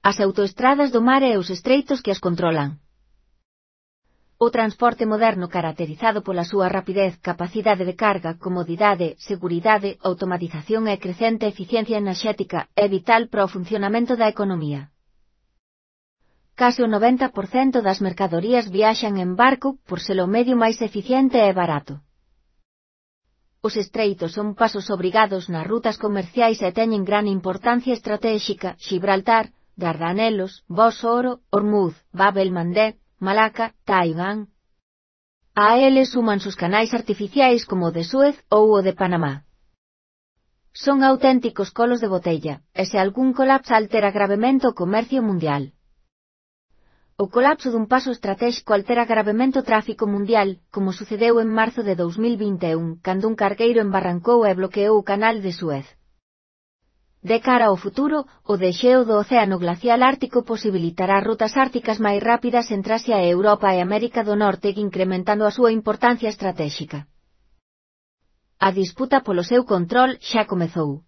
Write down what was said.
as autoestradas do mar e os estreitos que as controlan. O transporte moderno caracterizado pola súa rapidez, capacidade de carga, comodidade, seguridade, automatización e crecente eficiencia enerxética é vital para o funcionamento da economía. Case o 90% das mercadorías viaxan en barco por ser o medio máis eficiente e barato. Os estreitos son pasos obrigados nas rutas comerciais e teñen gran importancia estratéxica: Gibraltar, Dardanelos, Bósforo, Hormuz, Bab el-Mandeb, Malaca, Taiwán. A eles súmanse os canais artificiais como o de Suez ou o de Panamá. Son auténticos colos de botella, e se algún colapso altera gravemente o comercio mundial. O colapso dun paso estratéxico altera gravemente o tráfico mundial, como sucedeu en marzo de 2021, cando un cargueiro embarrancou e bloqueou o canal de Suez. De cara ao futuro, o desxeo do Océano Glacial Ártico posibilitará rutas árticas máis rápidas entre Asia e Europa e América do Norte, incrementando a súa importancia estratéxica. A disputa polo seu control xa comezou.